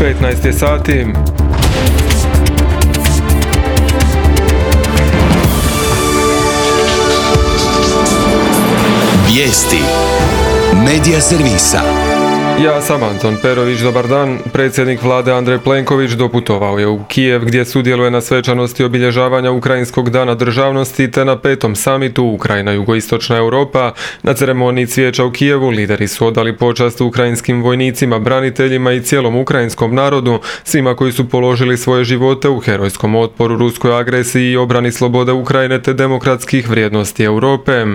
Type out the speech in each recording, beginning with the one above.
15 je sati. Vijesti Medija servisa. Ja sam Anton Perović, dobar dan. Predsjednik vlade Andrej Plenković doputovao je u Kijev gdje sudjeluje na svečanosti obilježavanja Ukrajinskog dana državnosti te na 5. samitu Ukrajina jugoistočna Europa. Na ceremoniji cvijeća u Kijevu lideri su odali počast ukrajinskim vojnicima, braniteljima i cijelom ukrajinskom narodu, svima koji su položili svoje živote u herojskom otporu ruskoj agresiji i obrani slobode Ukrajine te demokratskih vrijednosti Europe.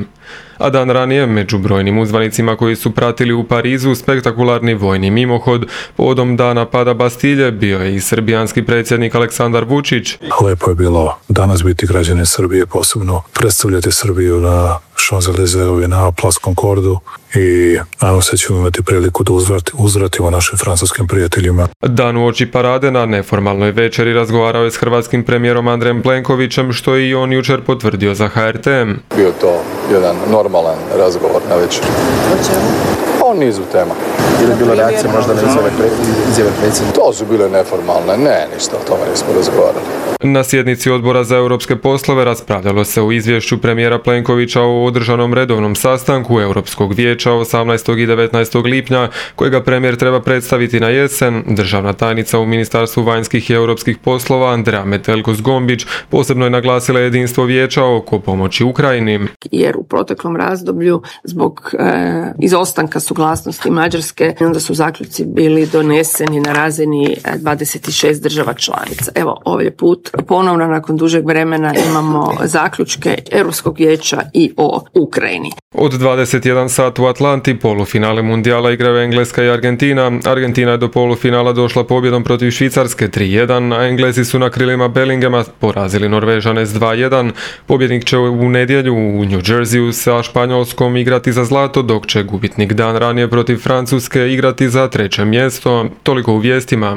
A dan ranije, među brojnim uzvanicima koji su pratili u Parizu spektakularni vojni mimohod povodom dana pada Bastilje bio je i srbijanski predsjednik Aleksandar Vučić. Lepo je bilo danas biti građanin Srbije, posebno predstavljati Srbiju na Champs-Élysées i na Place Concordu i nadam se ćemo imati priliku da uzvratimo našim francuskim prijateljima. Dan uoči parade na neformalnoj večeri razgovarao je s hrvatskim premijerom Andrejem Plenkovićem, što je i on jučer potvrdio za HRT. Bio to jedan normalan razgovor na večer. O čemu? O nizu tema. Ili je bilo reakcija možda na izjave predsjednika? To su bile neformalne, ništa o tome nismo razgovarali. Na sjednici Odbora za europske poslove raspravljalo se o izvješću premijera Plenkovića o održanom redovnom sastanku Europskog vijeća 18. i 19. lipnja, kojega premijer treba predstaviti na jesen. Državna tajnica u Ministarstvu vanjskih i europskih poslova Andrea Metelko-Zgombić posebno je naglasila jedinstvo vijeća oko pomoći Ukrajini. Jer u proteklom razdoblju zbog izostanka suglasnosti Mađarske onda su zaključci bili doneseni na razini 26 država članica. Evo, ovaj put ponovno nakon dužeg vremena imamo zaključke Europskog vijeća i o Ukrajini. Od 21 sat u Atlanti polufinale mundijala igraju Engleska i Argentina. Argentina je do polufinala došla pobjedom protiv Švicarske 3-1, a Englezi su na krilima Bellingema porazili Norvežane s 2-1. Pobjednik će u nedjelju u New Jerseyu sa Španjolskom igrati za zlato, dok će gubitnik dan ranije protiv Francuske igrati za 3. mjesto. Toliko u vijestima.